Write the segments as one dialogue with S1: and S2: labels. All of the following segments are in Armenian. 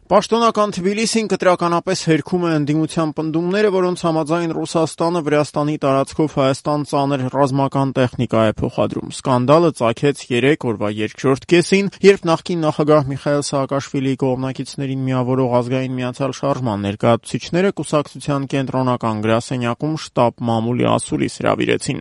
S1: Պաշտոնական Թբիլիսին կտրականապես հերքում է ընդդիմության պնդումները, որոնց համաձայն Ռուսաստանը Վրաստանի տարածքով Հայաստան ծանր ռազմական տեխնիկա է փոխադրում։ Սկանդալը ծագեց 3 օրվա երկրորդ կեսին, երբ նախկին նախագահ Միխայիլ Սաակաշվիլիի կողմնակիցներին միավորող Ազգային միացյալ շարժման ներկայացուցիչները կուսակցության կենտրոնական գրասենյակում շտաբ մամուլի ասուլիս հրավիրեցին։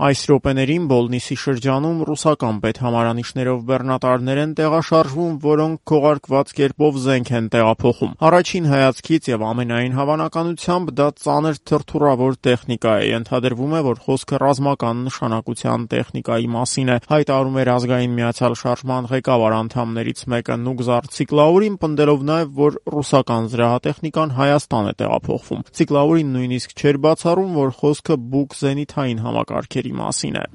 S1: Այս րոպեներին Բոլնիսի շրջանում ռուսական պետհամարանիշներով բեռնատարներ են տեղաշարժվում, որոնք քողարկված կերպով զենք են տեղափոխում։ Առաջին հայացքից եւ ամենայն հավանականությամբ դա ծանր թրթուրավոր տեխնիկա է։ Ենթադրվում է, որ խոսքը ռազմական նշանակության տեխնիկայի մասին է, հայտարարում էր Ազգային միացյալ շարժման ղեկավար անդամներից մեկը Նուգզար Ցիկլաուրին, պնդելով նաեւ, որ ռուսական զրահատեխնիկան Հայաստան է տեղափոխվում։ Ցիկլաուրին նույնիսկ չէր բացառում, որ խոսքը բուկ զենիթային համակարգերի մասին է։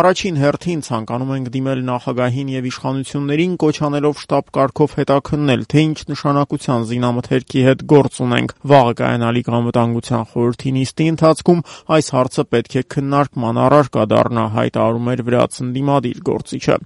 S1: Առաջին հերթին ցանկանում ենք դիմել նախագահին եւ իշխանություններին, կոչ անելով շտաբ կարգով հետաքննել, թե ինչ նշանակության զինամթերքի հետ գործ ունենք։ Վաղը կայանալիք անվտանգության խորհրդի նիստի ընթացքում այս հարցը պետք է քննարկման առարկա դառնա, հայտարարում էր վրաց ընդդիմադիր գործիչը։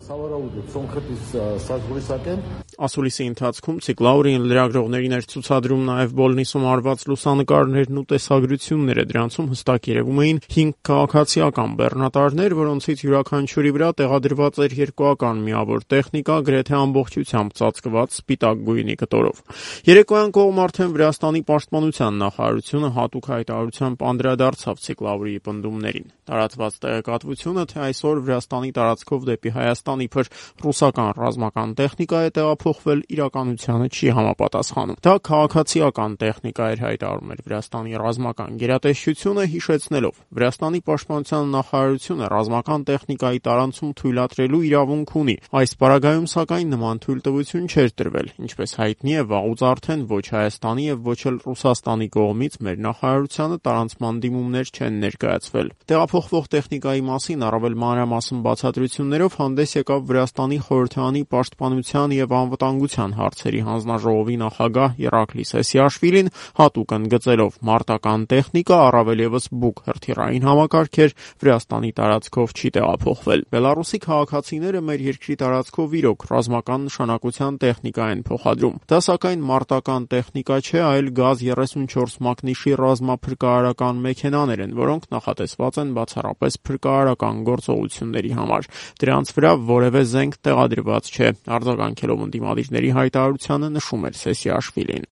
S1: Ասուլիսի ընթացքում Ցիկլաուրին լրագրողներին էր ցուցադրում նաև Բոլնիսում արված լուսանկարներն ու տեսագրությունները։ Դրանցում հստակ երևում էին 5 քաղաքացիական բեռնատարներ, որոնցից յուրաքանչյուրի վրա տեղադրված էր երկուական միավոր տեխնիկա, գրեթե ամբողջությամբ ծածկված սպիտակ գույնի կտորով։ Երեկոյան կողմ արդեն Վրաստանի պաշտպանության նախարարությունը հատուկ հայտարարությամբ անդրադարձավ Ցիկլաուրիի պնդումներին։ Տարածված տեղեկատվությունը, թե այսօր Վրաստանի տարածքով դեպի Հայաստան իբր ռուսական ռազմական տեխնիկա է տեղափոխվել, իրականությանը չի համապատասխանում։ Դա քաղաքացիական տեխնիկա էր, հայտարարում էր Վրաստանի ռազմական գերատեսչությունը, հիշեցնելով. Վրաստանի պաշտպանության նախարարությունը ռազմական տեխնիկայի տարանցում թույլատրելու իրավունք ունի։ Այս պարագայում, սակայն, նման թույլտվություն չէր տրվել։ Ինչպես հայտնի է, վաղուց արդեն ոչ Հայաստանի եւ ոչ էլ Ռուսաստանի կողմից մեր նախարարությանը տարանցման դիմումներ չեն ներկայացվել։ Տեղափոխվող տեխնիկայի մասին առավել մանրամասն բացատրություններով հանդես եկավ Վրաստանի խորհրդարանի պաշտպանության եւ անվտանգության հարցերի հանձնաժողովի նախագահ Իռակլի Սեսիաշվիլին, հատուկ ընդգծելով մարտական տեխնիկա, առավել եւս բուկ հրթիռային համակարգեր Վրաստանի տարածքով չի տեղափոխվել։ Բելարուսի քաղաքացիները մեր երկրի տարածքով իրոք ռազմական նշանակության տեխնիկա են փոխադրում։ Դա սակայն մարտական տեխնիկա չէ, այլ գազ 34 մակնիշի ռազմափրկարարական մեքենաներ են, որոնք նախատեսված են բացառապես փրկարարական գործողությունների համար։ Դրանց վրա որևէ զենք տեղադրված չէ, արձագանքելով ընդդիմադիրների հայտարարությանը նշում էր Սեսիաշվիլին։